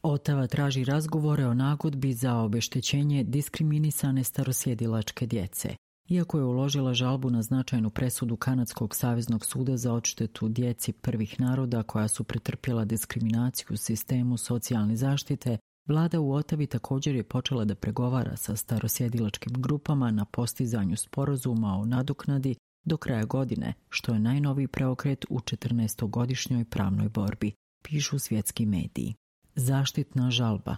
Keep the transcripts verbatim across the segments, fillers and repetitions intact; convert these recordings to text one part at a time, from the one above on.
Ottawa traži razgovore o nagodbi za obeštećenje diskriminisane starosjedilačke djece. Iako je uložila žalbu na značajnu presudu Kanadskog saveznog suda za odštetu djeci prvih naroda koja su pretrpjela diskriminaciju u sistemu socijalne zaštite, vlada u Ottawi također je počela da pregovara sa starosjedilačkim grupama na postizanju sporazuma o nadoknadi do kraja godine, što je najnoviji preokret u četrnaestogodišnjoj pravnoj borbi, pišu svjetski mediji. Zaštitna žalba.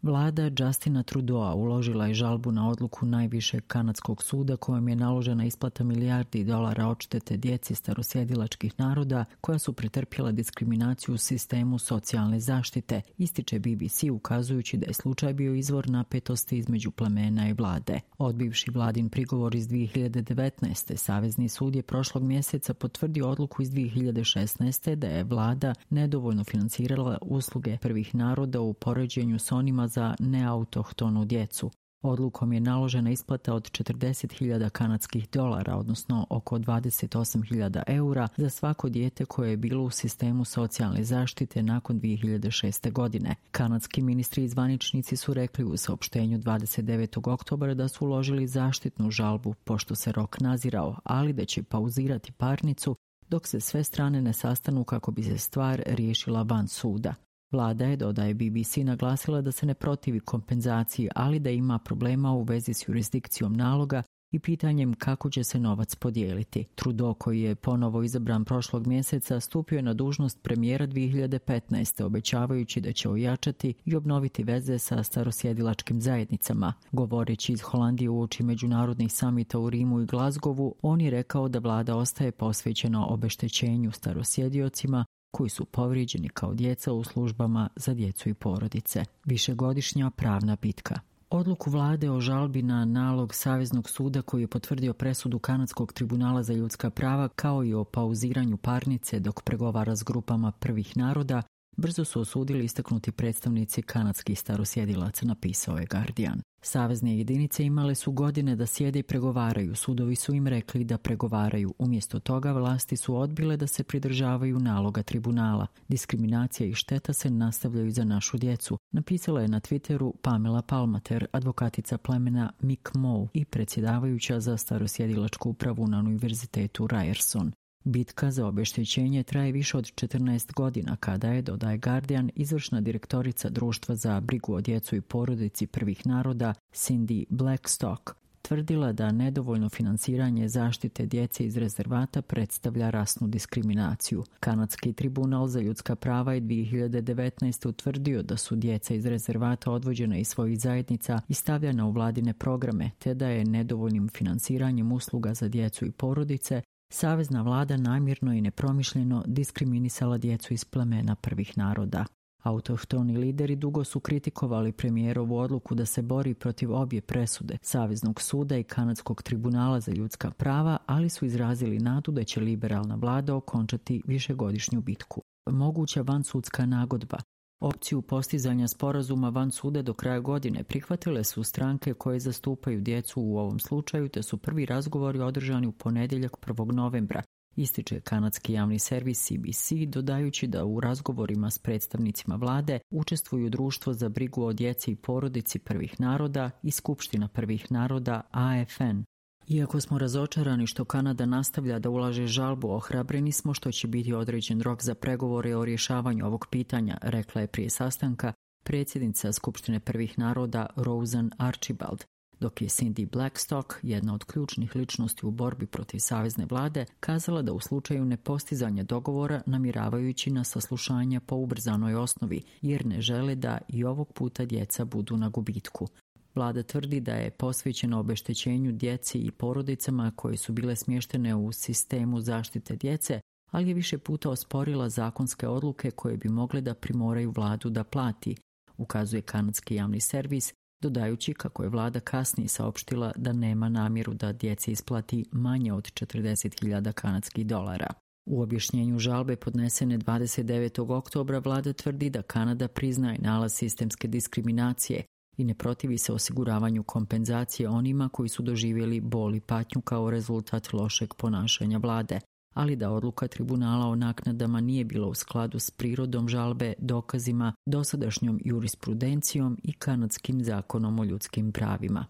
Vlada Justina Trudeau uložila je žalbu na odluku najvišeg kanadskog suda kojom je naložena isplata milijardi dolara odštete djeci starosjedilačkih naroda koja su pretrpjela diskriminaciju u sistemu socijalne zaštite, ističe B B C ukazujući da je slučaj bio izvor napetosti između plemena i vlade. Odbivši vladin prigovor iz dvije hiljade devetnaeste. Savezni sud je prošlog mjeseca potvrdio odluku iz dvije hiljade šesnaeste. da je vlada nedovoljno financirala usluge prvih naroda u poređenju s onima za neautohtonu djecu. Odlukom je naložena isplata od četrdeset hiljada kanadskih dolara, odnosno oko dvadeset osam hiljada eura za svako dijete koje je bilo u sistemu socijalne zaštite nakon dvije hiljade šeste. godine. Kanadski ministri i zvaničnici su rekli u saopštenju dvadeset devetog oktobra da su uložili zaštitnu žalbu pošto se rok nazirao, ali da će pauzirati parnicu dok se sve strane ne sastanu kako bi se stvar riješila van suda. Vlada je, dodaje B B C, naglasila da se ne protivi kompenzaciji, ali da ima problema u vezi s jurisdikcijom naloga i pitanjem kako će se novac podijeliti. Trudeau, koji je ponovo izabran prošlog mjeseca, stupio je na dužnost premijera dvije hiljade petnaeste. obećavajući da će ojačati i obnoviti veze sa starosjedilačkim zajednicama. Govoreći iz Holandije uoči međunarodnih samita u Rimu i Glasgowu, on je rekao da vlada ostaje posvećena obeštećenju starosjediocima koji su povrijeđeni kao djeca u službama za djecu i porodice. Višegodišnja pravna bitka. Odluku vlade o žalbi na nalog Saveznog suda koji je potvrdio presudu Kanadskog tribunala za ljudska prava kao i o pauziranju parnice dok pregovara s grupama prvih naroda, brzo su osudili istaknuti predstavnici kanadskih starosjedilaca, napisao je Guardian. Savezne jedinice imale su godine da sjede i pregovaraju, sudovi su im rekli da pregovaraju. Umjesto toga vlasti su odbile da se pridržavaju naloga tribunala. Diskriminacija i šteta se nastavljaju za našu djecu, napisala je na Twitteru Pamela Palmater, advokatica plemena Mi'kmaq i predsjedavajuća za starosjedilačku upravu na Univerzitetu Ryerson. Bitka za obeštećenje traje više od četrnaest godina kada je, dodaje Guardian, izvršna direktorica Društva za brigu o djecu i porodici prvih naroda Cindy Blackstock tvrdila da nedovoljno financiranje zaštite djece iz rezervata predstavlja rasnu diskriminaciju. Kanadski tribunal za ljudska prava je dvije hiljade devetnaeste. utvrdio da su djeca iz rezervata odvođena iz svojih zajednica i stavljena u vladine programe, te da je nedovoljnim finansiranjem usluga za djecu i porodice savezna vlada namjerno i nepromišljeno diskriminisala djecu iz plemena prvih naroda. Autohtoni lideri dugo su kritikovali premijerovu odluku da se bori protiv obje presude, Saveznog suda i Kanadskog tribunala za ljudska prava, ali su izrazili nadu da će liberalna vlada okončati višegodišnju bitku. Moguća vansudska nagodba. Opciju postizanja sporazuma van suda do kraja godine prihvatile su stranke koje zastupaju djecu u ovom slučaju, te su prvi razgovori održani u ponedjeljak prvog novembra, ističe kanadski javni servis C B C, dodajući da u razgovorima s predstavnicima vlade učestvuju Društvo za brigu o djeci i porodici prvih naroda i Skupština prvih naroda A F N. Iako smo razočarani što Kanada nastavlja da ulaže žalbu, ohrabreni smo što će biti određen rok za pregovore o rješavanju ovog pitanja, rekla je prije sastanka predsjednica Skupštine prvih naroda Roseanne Archibald, dok je Cindy Blackstock, jedna od ključnih ličnosti u borbi protiv savezne vlade, kazala da u slučaju nepostizanja dogovora namjeravajući na saslušanja po ubrzanoj osnovi, jer ne žele da i ovog puta djeca budu na gubitku. Vlada tvrdi da je posvećena obeštećenju djeci i porodicama koje su bile smještene u sistemu zaštite djece, ali je više puta osporila zakonske odluke koje bi mogle da primoraju vladu da plati, ukazuje kanadski javni servis, dodajući kako je vlada kasnije saopštila da nema namjeru da djeci isplati manje od četrdeset hiljada kanadskih dolara. U objašnjenju žalbe podnesene dvadeset devetog oktobra vlada tvrdi da Kanada priznaje nalaz sistemske diskriminacije i ne protivi se osiguravanju kompenzacije onima koji su doživjeli bol i patnju kao rezultat lošeg ponašanja vlade. ali da odluka tribunala o naknadama nije bila u skladu s prirodom žalbe, dokazima, dosadašnjom jurisprudencijom i kanadskim zakonom o ljudskim pravima.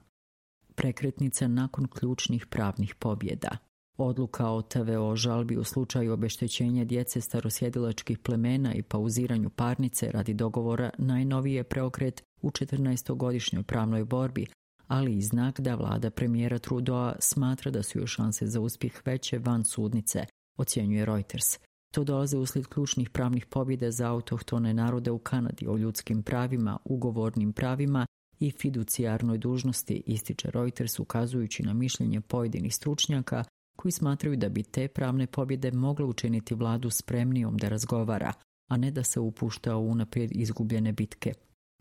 Prekretnica nakon ključnih pravnih pobjeda. Odluka o T V O žalbi u slučaju obeštećenja djece starosjedilačkih plemena i pauziranju parnice radi dogovora najnoviji je preokret u četrnaestogodišnjoj pravnoj borbi, ali i znak da vlada premijera Trudeau smatra da su joj šanse za uspjeh veće van sudnice, ocjenjuje Reuters. To dolaze uslijed ključnih pravnih pobjeda za autohtone narode u Kanadi o ljudskim pravima, ugovornim pravima i fiducijarnoj dužnosti, ističe Reuters ukazujući na mišljenje pojedinih stručnjaka koji smatraju da bi te pravne pobjede mogle učiniti vladu spremnijom da razgovara, a ne da se upušta u unaprijed izgubljene bitke.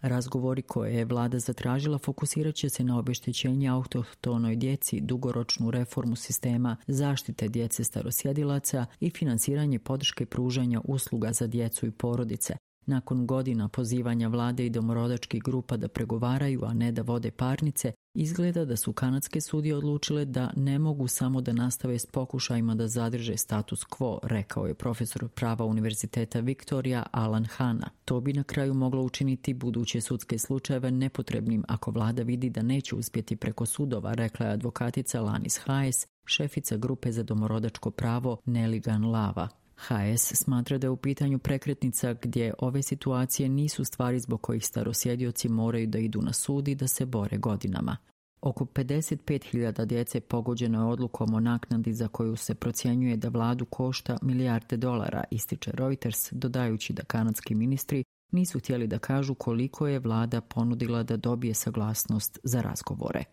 Razgovori koje je vlada zatražila fokusirat će se na obeštećenje autohtonoj djeci, dugoročnu reformu sistema zaštite djece starosjedilaca i finansiranje podrške pružanja usluga za djecu i porodice. Nakon godina pozivanja vlade i domorodačkih grupa da pregovaraju, a ne da vode parnice, izgleda da su kanadske sudije odlučile da ne mogu samo da nastave s pokušajima da zadrže status quo, rekao je profesor prava Univerziteta Victoria Alan Hanna. To bi na kraju moglo učiniti buduće sudske slučajeve nepotrebnim ako vlada vidi da neće uspjeti preko sudova, rekla je advokatica Lanis Hayes, šefica grupe za domorodačko pravo Neligan Lava. Hayes smatra da je u pitanju prekretnica gdje ove situacije nisu stvari zbog kojih starosjedioci moraju da idu na sud i da se bore godinama. Oko pedeset pet hiljada djece pogođeno je odlukom o naknadi za koju se procjenjuje da vladu košta milijarde dolara, ističe Reuters, dodajući da kanadski ministri nisu htjeli da kažu koliko je vlada ponudila da dobije saglasnost za razgovore.